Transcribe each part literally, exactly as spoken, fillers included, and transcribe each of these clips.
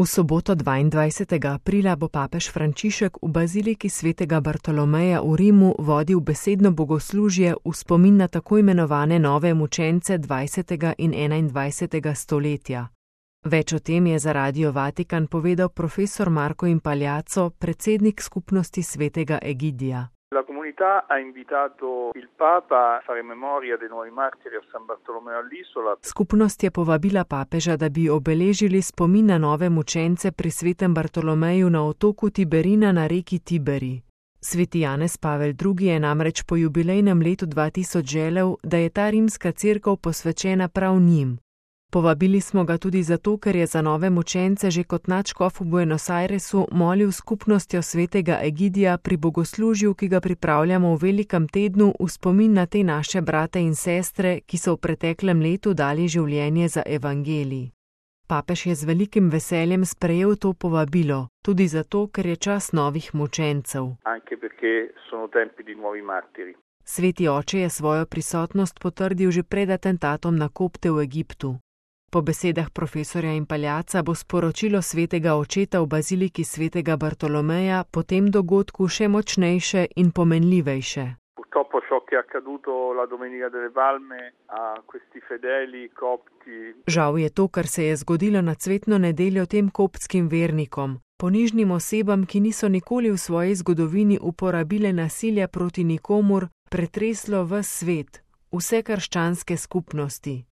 V soboto dvaindvajsetega aprila bo papež Frančišek v baziliki svetega Bartolomeja v Rimu vodil besedno bogoslužje v spomin na tako imenovane nove mučence dvajsetega in enaindvajsetega stoletja. Več o tem je za Radio Vatikan povedal profesor Marco Impagliazzo, predsednik skupnosti svetega Egidija. La comunità ha invitato il Papa a fare memoria dei nuovi martiri a San Bartolomeo all'Isola. Skupnost je povabila papeža, da bi obeležili spomin na nove mučence pri svetem Bartolomeju na otoku Tiberina na reki Tiberi. Sveti Janez Pavel drugi je namreč po jubilejnem letu dva tisoč želel, da je ta rimska cerkev posvečena prav njim. Povabili smo ga tudi zato, ker je za nove mučence že kot nadškof v Buenos Airesu molil skupnostjo svetega Egidija pri bogoslužju, ki ga pripravljamo v velikem tednu v spomin na te naše brate in sestre, ki so v preteklem letu dali življenje za evangelij. Papež je z velikim veseljem sprejel to povabilo, tudi zato, ker je čas novih mučencev. Anche perché sono tempi di nuovi martiri. Sveti oče je svojo prisotnost potrdil že pred atentatom na kopte v Egiptu. Po besedah profesorja Impagliazza bo sporočilo svetega očeta v baziliki svetega Bartolomeja po tem dogodku še močnejše in pomenljivejše. Purtroppo ciò che è accaduto la Domenica delle Palme a questi fedeli copti. Žal je to, kar se je zgodilo na cvetno nedeljo tem koptskim vernikom, ponižnim osebam, ki niso nikoli v svoji zgodovini uporabile nasilja proti nikomur, pretreslo ves svet, vse krščanske skupnosti.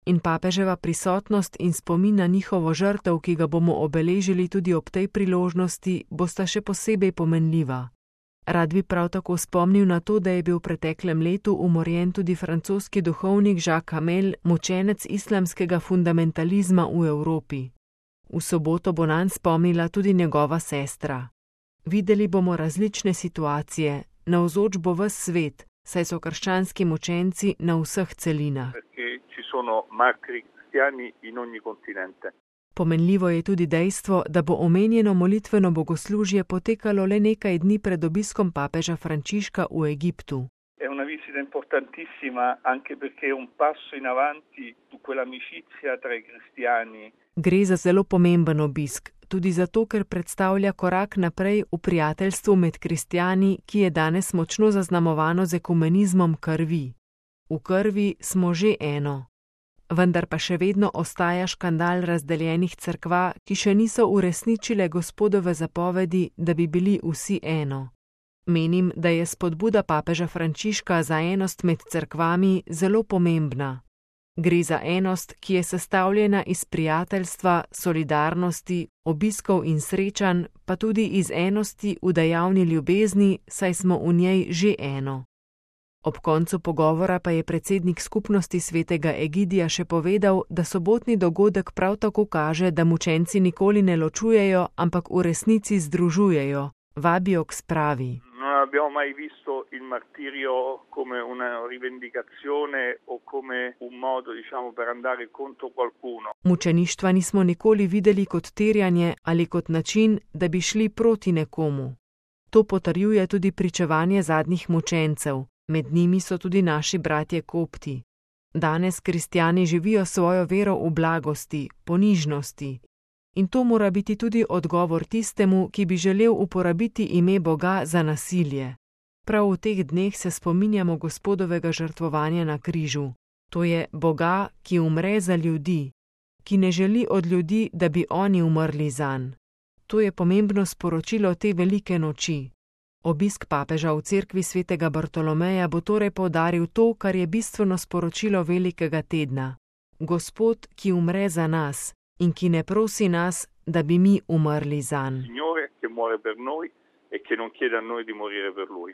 In papeževa prisotnost in spomin na njihovo žrtev, ki ga bomo obeležili tudi ob tej priložnosti, bosta še posebej pomenljiva. Rad bi prav tako spomnil na to, da je bil v preteklem letu umorjen tudi francoski duhovnik Jacques Hamel, mučenec islamskega fundamentalizma v Evropi. V soboto bo nanj spomnila tudi njegova sestra. Videli bomo različne situacije, navzoč bo ves svet, saj so krščanski mučenci na vseh celinah. Sono martiri cristiani in ogni continente. Pomenljivo je tudi dejstvo, da bo omenjeno molitveno bogoslužje potekalo le nekaj dni pred obiskom papeža Frančiška v Egiptu. È una visita importantissima anche perché è un passo in avanti su quell'amicizia tra i cristiani. Gre za zelo pomemben obisk, tudi zato, ker predstavlja korak naprej v prijateljstvu med kristjani, ki je danes močno zaznamovano z ekumenizmom krvi. V krvi smo že eno. Vendar pa še vedno ostaja škandal razdeljenih cerkva, ki še niso uresničile Gospodove zapovedi, da bi bili vsi eno. Menim, da je spodbuda papeža Frančiška za enost med cerkvami zelo pomembna. Gre za enost, ki je sestavljena iz prijateljstva, solidarnosti, obiskov in srečanj, pa tudi iz enosti v dejavni ljubezni, saj smo v njej že eno. Ob koncu pogovora pa je predsednik skupnosti svetega Egidija še povedal, da sobotni dogodek prav tako kaže, da mučenci nikoli ne ločujejo, ampak v resnici združujejo, vabijo k spravi. Non abbiamo mai visto il martirio come una rivendicazione o come un modo, diciamo, per andare contro qualcuno. Mučeništva nismo nikoli videli kot terjanje ali kot način, da bi šli proti nekomu. To potrjuje tudi pričevanje zadnjih mučencev. Med njimi so tudi naši bratje kopti. Danes kristjani živijo svojo vero v blagosti, ponižnosti. In to mora biti tudi odgovor tistemu, ki bi želel uporabiti ime Boga za nasilje. Prav v teh dneh se spominjamo Gospodovega žrtvovanja na križu. To je Boga, ki umre za ljudi, ki ne želi od ljudi, da bi oni umrli zanj. To je pomembno sporočilo te velike noči. Obisk papeža v cerkvi svetega Bartolomeja bo torej poudaril to, kar je bistveno sporočilo velikega tedna. Gospod, ki umre za nas in ki ne prosi nas, da bi mi umrli zanj. Signore, che muore per noi e che non chiede a noi di morire per lui.